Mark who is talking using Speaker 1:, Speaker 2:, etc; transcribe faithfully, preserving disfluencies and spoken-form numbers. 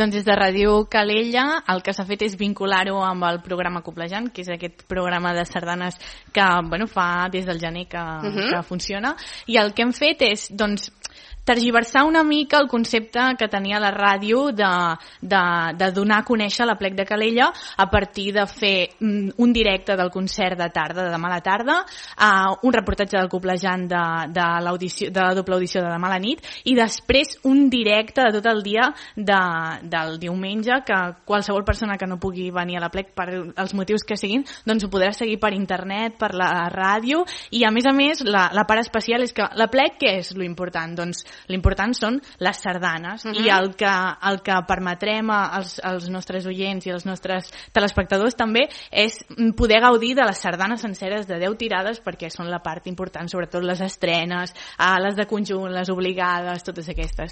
Speaker 1: Doncs des de Ràdio Calella el que s'ha fet és vincular-ho amb el programa Coblejant, que és aquest programa de sardanes que bueno, fa des del gener que, uh-huh. que funciona, i el que hem fet és doncs, tergiversar una mica el concepte que tenia la ràdio de, de, de donar a conèixer l'Aplec de Calella a partir de fer un directe del concert de tarda, de demà a la tarda, uh, un reportatge del Coblejant de, de, l'audició, de la doble audició de demà a la nit, i després un directe de tot el dia de, del diumenge, que qualsevol persona que no pugui venir a l'Aplec per els motius que siguin, doncs ho podrà seguir per internet, per la ràdio, i a més a més la, la part especial és que l'Aplec, què és l'important? Doncs l'important són les sardanes, uh-huh. i el que, el que permetrem als, als nostres oients i als nostres telespectadors també és poder gaudir de les sardanes senceres de deu tirades, perquè són la part important, sobretot les estrenes, les de conjunt, les obligades, totes aquestes.